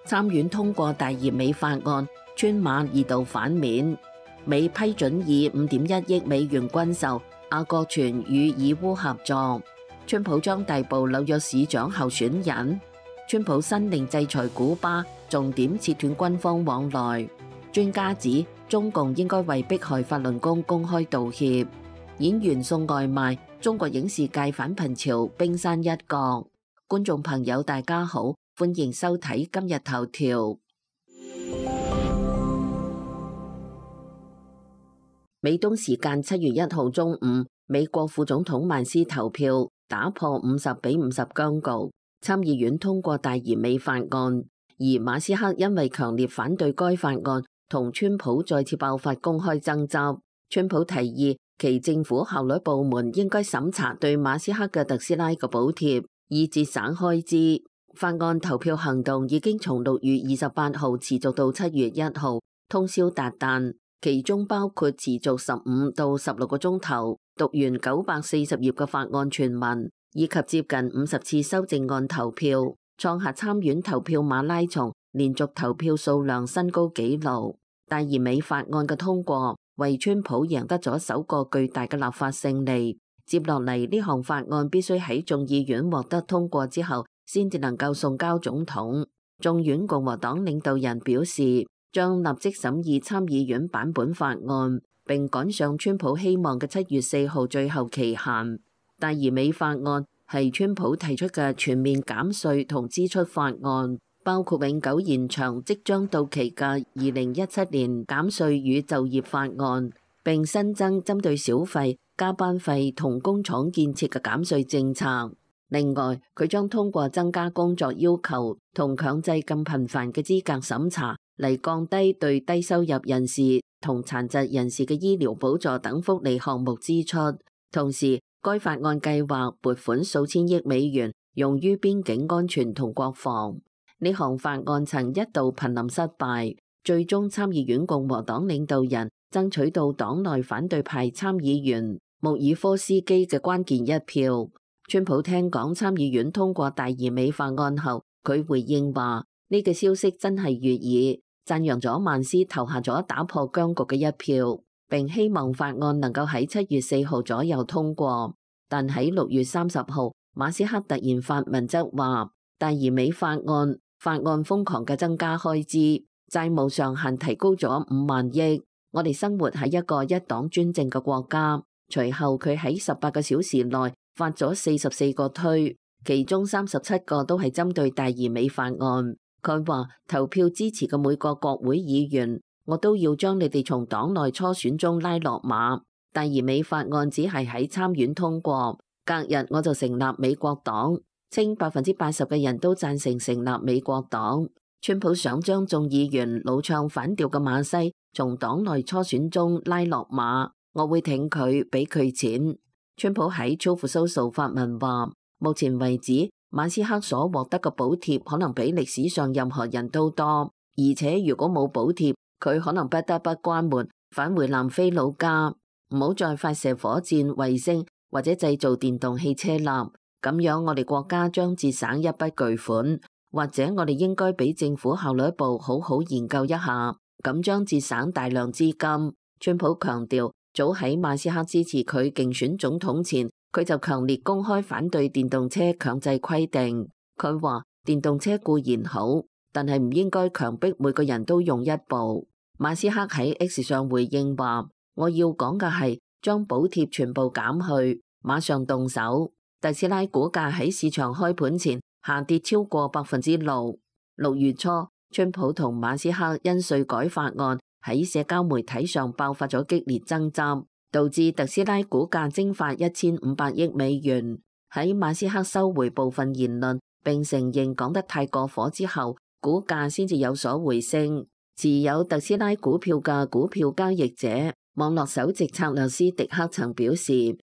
參院通過大義美法案，川馬二度反面。美批准以5.1億美元軍售阿國泉與以烏合作。川普將逮捕紐約市長候選人。川普新令制裁古巴，重點切斷軍方往來。專家指中共應該為迫害法輪功公開道歉。演員送外賣，中國影視界反貧潮冰山一角。觀眾朋友大家好，歡迎收睇今日頭條。美東時間7月1號中午，美國副總統曼斯投票打破50-50僵局，參議院通過大義美法案，而馬斯克因為強烈反對該法案，同川普再次爆發公開爭執。川普提議其政府效率部門應該審查對馬斯克嘅特斯拉嘅補貼，以節省開支。法案投票行動已經從6月28號持續到7月1號，通宵達旦，其中包括持續15到16個鐘頭，讀完940頁嘅法案全文，以及接近50次修正案投票，創下參院投票馬拉松連續投票數量新高紀錄。大義美法案嘅通過，為川普贏得咗首個巨大嘅立法勝利。接落嚟呢項法案必須喺眾議院獲得通過之後，先至能夠送交總統。眾院共和黨領導人表示，將立即審議參議院版本法案，並趕上川普希望嘅7月4號最後期限。大義美法案係川普提出嘅全面減稅同支出法案，包括永久延長即將到期嘅2017年減稅與就業法案，並新增針對小費、加班費同工廠建設嘅減稅政策。另外，佢將通過增加工作要求同強制更頻繁嘅資格審查，嚟降低對低收入人士同殘疾人士嘅醫療補助等福利項目支出。同時，該法案計劃撥款數千億美元用於邊境安全同國防。呢項法案曾一度瀕臨失敗，最終參議院共和黨領導人爭取到黨內反對派參議員穆爾科斯基嘅關鍵一票。川普聽講參議院通過大義美法案後，佢回應話：呢個消息真係悅耳，讚揚咗曼斯投下咗打破僵局嘅一票，並希望法案能夠喺7月4號左右通過。但喺6月30號，馬斯克突然發文則話，大義美法案瘋狂嘅增加開支，債務上限提高咗5萬億。我哋生活喺一個一黨專政嘅國家。隨後佢喺18個小時內發咗44個推，其中37個都係針對大義美法案。佢話投票支持嘅每個國會議員，我都要將你哋從黨內初選中拉落馬。大義美法案只係喺參院通過，隔日我就成立美國黨，稱80%嘅人都贊成成立美國黨。川普想將眾議員老唱反調嘅馬西從黨內初選中拉落馬，我會挺佢，俾佢錢。川普喺 Truth Social 發文話，目前為止，馬斯克所獲得嘅補貼可能比歷史上任何人都多，而且如果冇補貼，佢可能不得不關門，返回南非老家，唔好再發射火箭、衛星或者製造電動汽車啦。咁樣我哋國家將節省一筆巨款，或者我哋應該俾政府效率部好好研究一下，咁將節省大量資金。川普強調，早喺馬斯克支持佢競選總統前，佢就強烈公開反對電動車強制規定。佢話電動車固然好，但係唔應該強迫每個人都用一部。馬斯克喺 X 上回應話，我要講嘅係將補貼全部減去，馬上動手。特斯拉股價喺市場開盤前下跌超過6%。6月初，川普同馬斯克因稅改法案喺社交媒體上爆發咗激烈爭執，導致特斯拉股價蒸發1500億美元。喺馬斯克收回部分言論並承認講得太過火之後，股價先至有所回升。持有特斯拉股票嘅股票交易者網絡首席策略師迪克曾表示，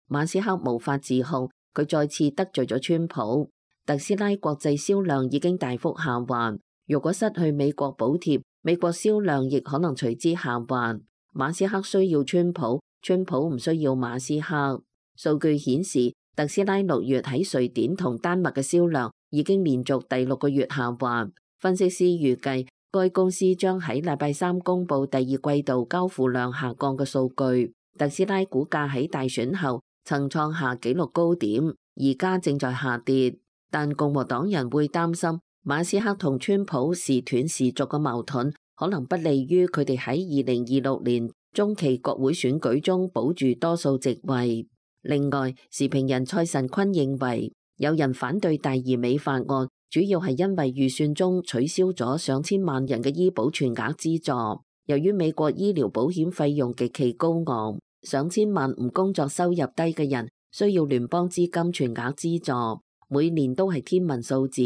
馬斯克無法自控，佢再次得罪咗川普。特斯拉國際銷量已經大幅下滑，如果失去美國補貼，美國銷量亦可能隨之下滑。馬斯克需要川普，川普唔需要馬斯克。數據顯示，特斯拉6月喺瑞典同丹麥嘅銷量已經連續第6個月下滑，分析師預計，該公司將喺禮拜三公佈第二季度交付量下降嘅數據。特斯拉股價喺大選後曾創下紀錄高點，而家正在下跌。但共和黨人會擔心馬斯克同川普時斷時續嘅矛盾，可能不利於佢哋喺2026年中期國會選舉中保住多數席位。另外，時評人蔡神坤認為，有人反對大而美法案，主要係因為預算中取消咗上千萬人嘅醫保全額資助。由於美國醫療保險費用極其高昂，上千萬唔工作收入低嘅人需要聯邦資金全額資助，每年都係天文數字，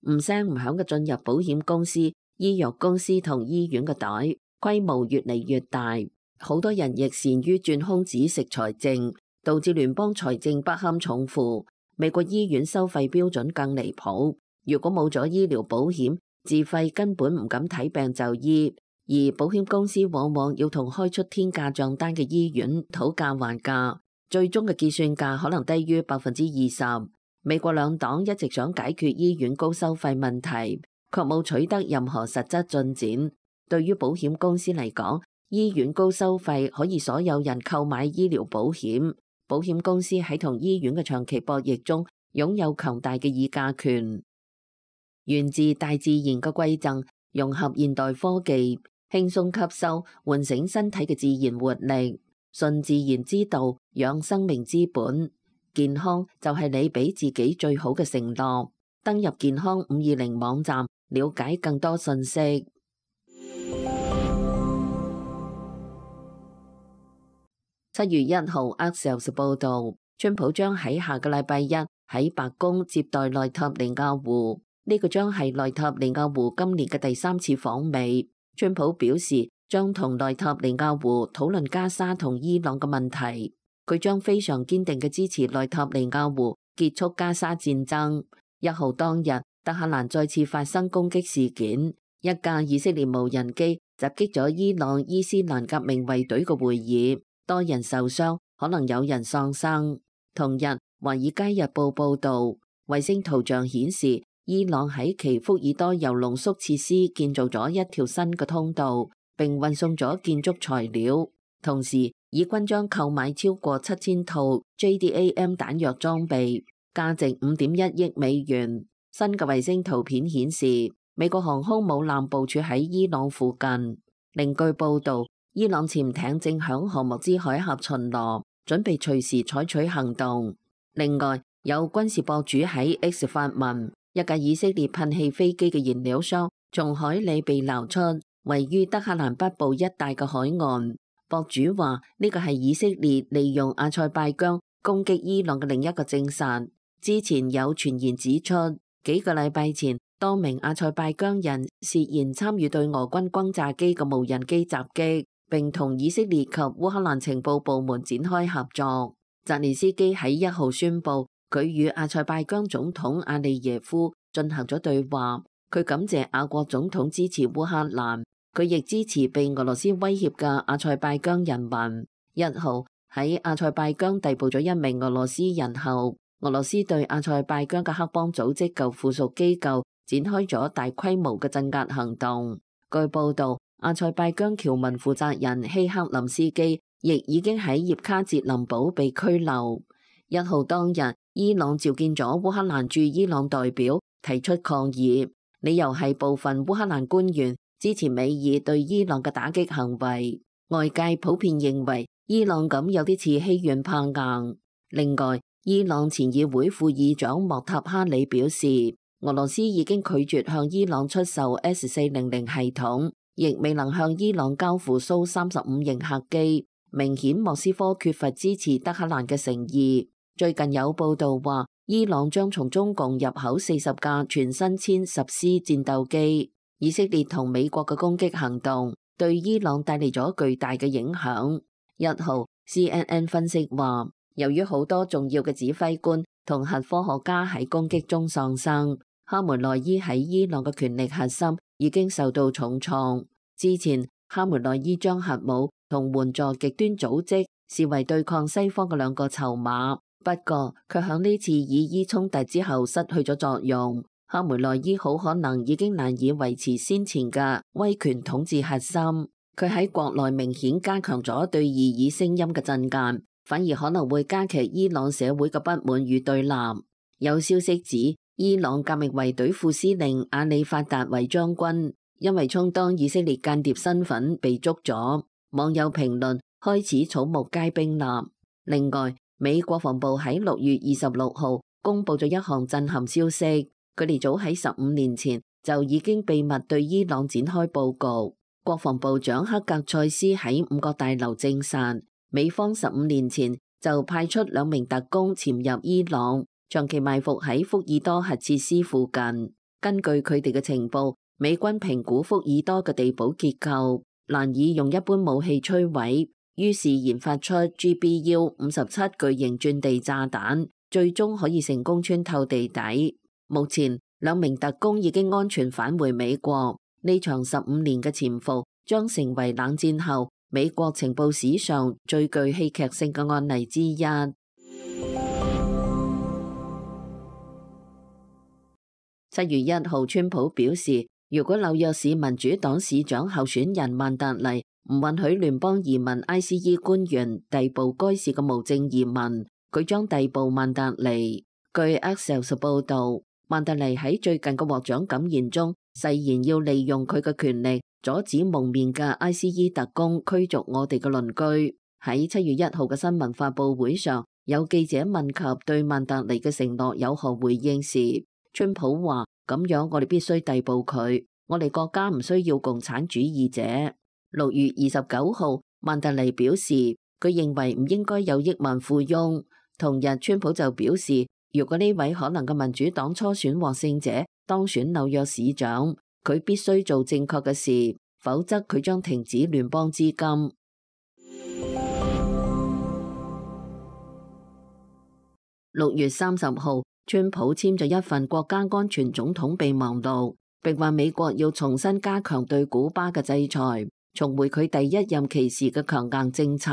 唔聲唔響嘅進入保險公司、醫藥公司同醫院嘅袋，規模越嚟越大。好多人亦善於鑽空子食財政，導致聯邦財政不堪重負。美國醫院收費標準更離譜，如果冇咗醫療保險，自費根本唔敢睇病就醫。而保險公司往往要同開出天價賬單嘅醫院討價還價，最終嘅結算價可能低於20%。美國兩黨一直想解決醫院高收費問題，卻冇取得任何實質進展。對於保險公司嚟講，醫院高收費可以所有人購買醫療保險，保險公司喺同醫院嘅長期博弈中擁有強大嘅議價權。源自大自然嘅饋贈，融合現代科技，輕鬆吸收，喚醒身體嘅自然活力，順自然之道，養生命之本。健康就係你俾自己最好嘅承諾。登入健康520網站，了解更多信息。7月1號 Axios 報導，川普將喺下個禮拜一喺白宮接待內塔尼亞胡，呢個將係內塔尼亞胡今年嘅第3次訪美。川普表示將同內塔尼亞胡討論加沙同伊朗嘅問題，佢將非常堅定嘅支持內塔尼亞胡結束加沙戰爭。1號當日，德黑蘭再次發生攻擊事件，一架以色列無人機襲擊咗伊朗伊斯蘭革命衛隊嘅會議，多人受傷，可能有人喪生。同日，《華爾街日報》報導，衛星圖像顯示，伊朗喺其福爾多鈾濃縮設施建造咗一條新嘅通道，並運送咗建築材料。同時，以軍將購買超過7000套 JDAM 彈藥裝備，價值5.1億美元。新嘅衛星圖片顯示，美國航空母艦部署喺伊朗附近。另據報導，伊朗潛艇正響荷穆茲海峽巡邏，準備隨時採取行動。另外，有軍事博主喺 X 發文，一架以色列噴氣飛機嘅燃料箱從海裏被撈出，位於德黑蘭北部一帶嘅海岸。博主話呢個係以色列利用阿塞拜疆攻擊伊朗嘅另一個證實。之前有傳言指出，幾個禮拜前多名阿塞拜疆人涉嫌參與對俄軍轟炸機嘅無人機襲擊，並同以色列及烏克蘭情報部門展開合作。澤連斯基喺1號宣布，佢與阿塞拜疆總統阿利耶夫進行咗對話，佢感謝阿國總統支持烏克蘭，佢亦支持被俄羅斯威脅嘅阿塞拜疆人民。1號喺阿塞拜疆逮捕咗一名俄羅斯人後，俄羅斯對阿塞拜疆嘅黑幫組織及附屬機構展開咗大規模嘅鎮壓行動。據報道，阿塞拜疆僑民負責人希克林斯基亦已經喺葉卡捷林堡被拘留。1號當日，伊朗召見咗烏克蘭駐伊朗代表，提出抗議，理由係部分烏克蘭官員支持美爾對伊朗嘅打擊行為。外界普遍認為伊朗咁有啲似欺軟怕硬。另外，伊朗前議會副議長莫塔哈里表示，俄羅斯已經拒絕向伊朗出售 S-400系統，亦未能向伊朗交付蘇35型客機，明顯莫斯科缺乏支持德黑蘭嘅誠意。最近有報道話，伊朗將從中共入口40架全新殲10C 戰鬥機。以色列同美國嘅攻擊行動對伊朗帶嚟咗巨大嘅影響。1號 CNN 分析話，由於好多重要嘅指揮官同核科學家喺攻擊中喪生，哈梅內伊喺伊朗嘅權力核心已經受到重創。之前，哈梅內伊將核武同援助極端組織視為對抗西方嘅兩個籌碼，不過卻響呢次以伊衝突之後失去咗作用。哈梅內伊好可能已經難以維持先前嘅威權統治核心，佢喺國內明顯加強咗對異議聲音嘅鎮壓，反而可能會加劇伊朗社會嘅不滿與對立。有消息指，伊朗革命衛隊副司令阿里法達維將軍因為充當以色列間諜身份被捉咗，網友評論開始草木皆兵立。另外，美國防部喺6月26號公布咗一項震撼消息，佢哋早喺15年前就已經秘密對伊朗展開佈局。國防部長克格塞斯喺五角大樓證實，美方15年前就派出2名特工潛入伊朗，長期埋伏喺福爾多核設施附近。根據佢哋嘅情報，美軍評估福爾多嘅地堡結構難以用一般武器摧毀，於是研發出 GBU-57巨型鑽地炸彈，最終可以成功穿透地底。目前2名特工已經安全返回美國。呢場15年嘅潛伏將成為冷戰後美國情報史上最具戲劇性嘅案例之一。7月1號，川普表示，如果紐約市民主黨市長候選人曼達尼唔允許聯邦移民 ICE 官員逮捕該市嘅無證移民，佢將逮捕曼達尼。據 Axios 報導，曼達尼喺最近嘅獲獎感言中誓言要利用佢嘅權力阻止蒙面嘅 ICE 特工驅逐我哋嘅鄰居。喺7月1號嘅新聞發佈會上，有記者問及對曼達尼嘅承諾有何回應時，川普話：咁樣我哋必須逮捕佢，我哋國家唔需要共產主義者。6月29號，曼達尼表示佢認為唔應該有億萬富翁。同日，川普就表示，如果呢位可能嘅民主黨初選獲勝者當選紐約市長，佢必須做正確嘅事，否則佢將停止聯邦資金。6月30號，川普簽咗一份國家安全總統備忘錄，並話美國要重新加強對古巴嘅制裁，重回佢第一任期時嘅強硬政策。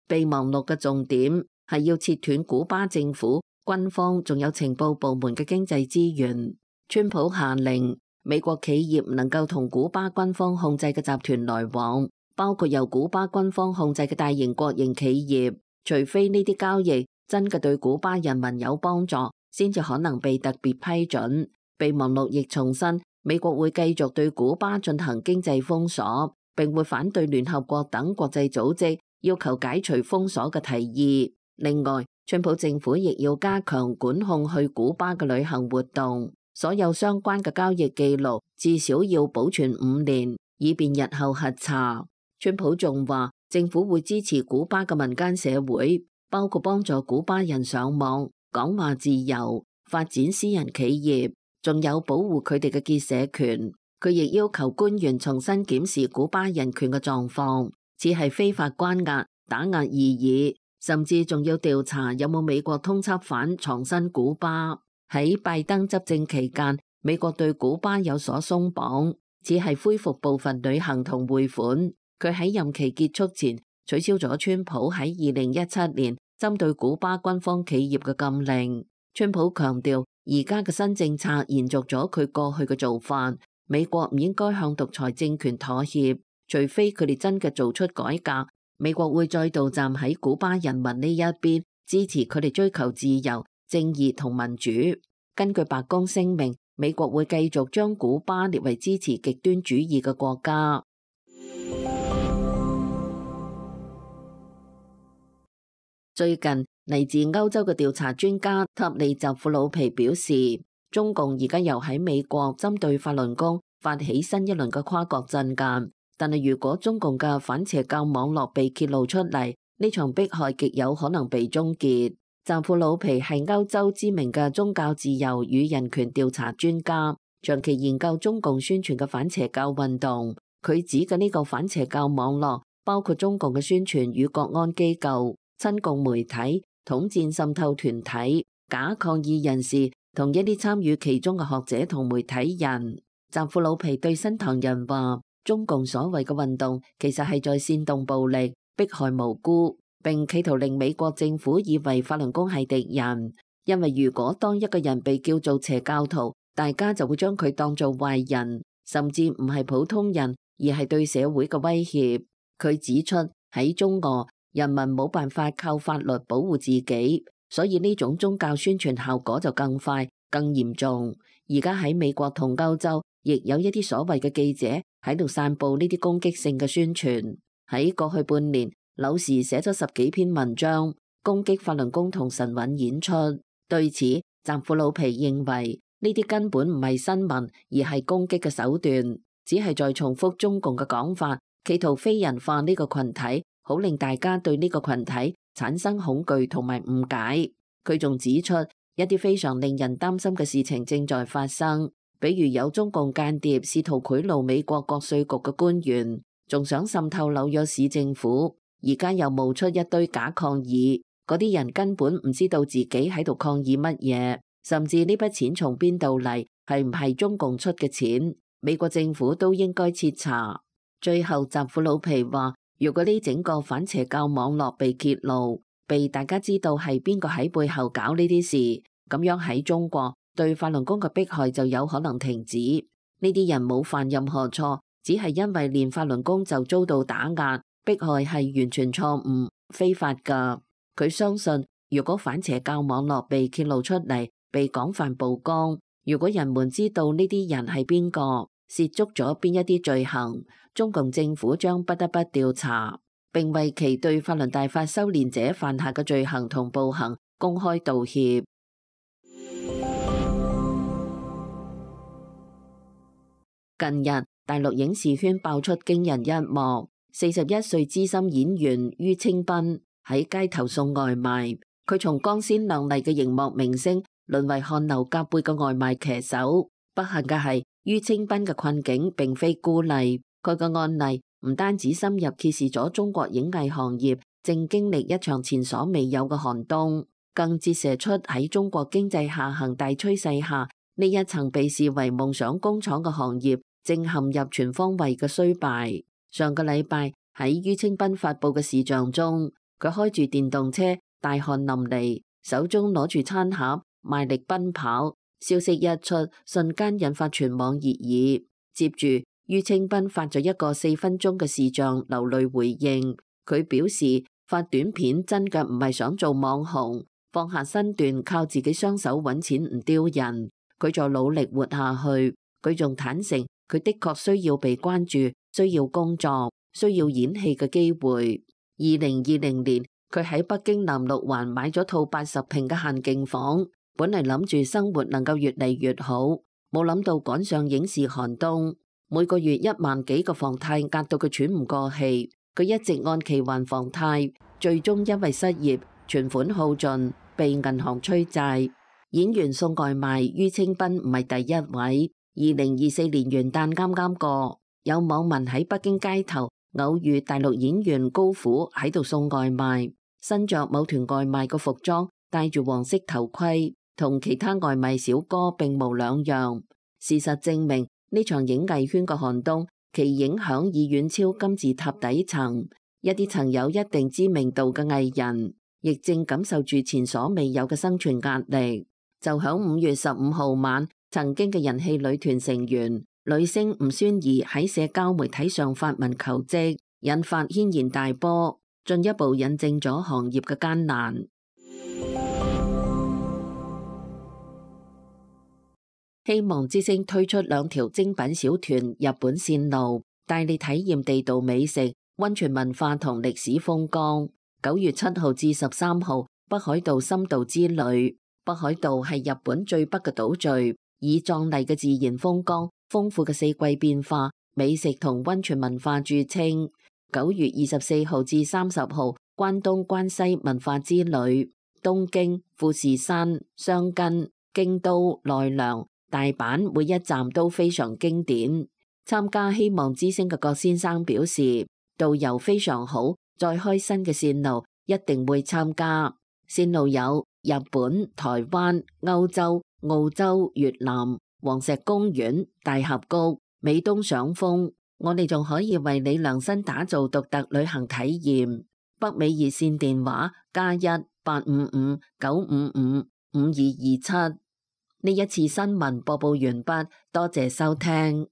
備忘錄嘅重點係要切斷古巴政府、軍方仲有情報部門嘅經濟資源。川普下令美國企業唔能夠同古巴軍方控制嘅集團來往，包括由古巴軍方控制嘅大型國營企業，除非呢啲交易真嘅對古巴人民有幫助，先至可能被特別批准。備忘錄亦重申，美國會繼續對古巴進行經濟封鎖，並會反對聯合國等國際組織要求解除封鎖嘅提議。另外，川普政府亦要加強管控去古巴嘅旅行活動，所有相關嘅交易記錄至少要保存5年，以便日後核查。川普仲話，政府會支持古巴嘅民間社會，包括幫助古巴人上網、講話自由、發展私人企業，仲有保護佢哋嘅結社權。佢亦要求官員重新檢視古巴人權嘅狀況，似係非法關押、打壓異議，甚至仲要調查有冇美國通緝犯藏身古巴。喺拜登執政期間，美國對古巴有所鬆綁，只係恢復部分旅行同匯款。佢喺任期結束前取消咗川普喺2017年針對古巴軍方企業嘅禁令。川普強調，而家嘅新政策延續咗佢過去嘅做法，美國唔應該向獨裁政權妥協，除非佢哋真嘅做出改革。美國會再度站喺古巴人民呢一邊，支持佢哋追求自由、正義同民主。根據白宮聲明，美國會繼續將古巴列為支持極端主義嘅國家。最近嚟自歐洲嘅調查專家塔利扎庫魯皮表示，中共而家又喺美國針對法輪功發起新一輪嘅跨國鎮壓，但係如果中共嘅反邪教網絡被揭露出嚟，呢場迫害極有可能被終結。扎庫魯皮係歐洲知名嘅宗教自由與人權調查專家，長期研究中共宣傳嘅反邪教運動。佢指嘅呢個反邪教網絡包括中共嘅宣傳與國安機構、親共媒體、統戰滲透團體、假抗議人士同一啲參與其中嘅學者同媒體人。扎庫魯皮對新唐人話，中共所謂嘅運動其實係在煽動暴力、迫害無辜，並企圖令美國政府以為法輪功係敵人。因為如果當一個人被叫做邪教徒，大家就會將佢當做壞人，甚至唔係普通人，而係對社會嘅威脅。佢指出喺中俄，人民冇辦法靠法律保護自己，所以呢種宗教宣傳效果就更快、更嚴重。而家喺美國同歐洲，亦有一啲所謂嘅記者喺度散佈呢啲攻擊性嘅宣傳。喺過去半年，柳時寫咗10幾篇文章，攻擊法輪功同神韻演出。對此，澤庫魯皮認為呢啲根本唔係新聞，而係攻擊嘅手段，只係在重複中共嘅講法，企圖非人化呢個群體，好令大家對呢個群體產生恐懼同埋誤解。佢仲指出一啲非常令人擔心嘅事情正在發生，比如有中共間諜試圖賄賂美國國稅局嘅官員，仲想滲透紐約市政府。而家又冒出一堆假抗議，嗰啲人根本唔知道自己喺度抗議乜嘢，甚至呢筆錢從邊度嚟，係唔係中共出嘅錢，美國政府都應該徹查。最後，澤庫魯皮話，如果呢整個反邪教網絡被揭露，被大家知道係邊個喺背後搞呢啲事，咁樣喺中國對法輪功嘅迫害就有可能停止。呢啲人冇犯任何錯，只係因為練法輪功就遭到打壓。迫害係完全錯誤、非法㗎。佢相信，如果反邪教網絡被揭露出嚟，被廣泛曝光，如果人們知道呢啲人係邊個，涉足咗邊一啲罪行，中共政府將不得不調查，並為其對法輪大法修煉者犯下嘅罪行同暴行公開道歉。近日，大陸影視圈爆出驚人一幕。41歲資深演員于清斌喺街頭送外賣，佢從光鮮亮麗嘅熒幕明星淪為汗流浹背嘅外賣騎手。不幸嘅係，于清斌嘅困境並非孤例，佢嘅案例唔單止深入揭示咗中國影藝行業正經歷一場前所未有嘅寒冬，更折射出喺中國經濟下行大趨勢下，呢一層被視為夢想工廠嘅行業正陷入全方位嘅衰敗。上個禮拜喺于清斌發佈嘅視像中，佢開住電動車，大汗淋漓，手中攞住餐盒，賣力奔跑。消息一出，瞬間引發全網熱議。接住，于清斌發咗一個4分鐘嘅視像流淚回應。佢表示發短片真嘅唔係想做網紅，放下身段靠自己雙手揾錢唔丟人。佢在努力活下去。佢仲坦誠，佢的確需要被關注。需要工作，需要演戲嘅機會。2020年，佢喺北京南六環買咗套80平嘅限徑房，本嚟諗住生活能夠越嚟越好，冇諗到趕上影視寒冬，每個月1萬幾個房貸壓到佢喘唔過氣。佢一直按期還房貸，最終因為失業，存款耗盡，被銀行催債。演員送外賣于清斌唔係第一位。2024年元旦啱啱過。有網民喺北京街頭偶遇大陸演員高虎喺度送外賣，身着某團外賣嘅服裝，戴住黃色頭盔，同其他外賣小哥並無兩樣。事實證明，呢場影藝圈嘅寒冬，其影響已遠超金字塔底層。一啲曾有一定知名度嘅藝人，亦正感受住前所未有嘅生存壓力。就響5月15號晚，曾經嘅人氣女團成員女星吳宣儀喺社交媒體上發文求職，引發軒然大波，進一步印證咗行業嘅艱難。希望之星推出2條精品小團日本線路，帶你體驗地道美食、溫泉文化同歷史風光。9月7號至13號，北海道深度之旅。北海道係日本最北嘅島嶼，以壯麗嘅自然風光、豐富嘅四季變化、美食同溫泉文化著稱。9月24號至30號，關東關西文化之旅，東京、富士山、箱根、京都、奈良、大阪每一站都非常經典。參加希望之星嘅郭先生表示，導遊非常好，再開新嘅線路一定會參加。線路有日本、台灣、歐洲、澳洲、越南、黃石公園、大峽谷、美東賞楓，我哋仲可以為你量身打造獨特旅行體驗。北美熱線電話+1-855-955-5227。呢一次新聞播報完畢，多謝收聽。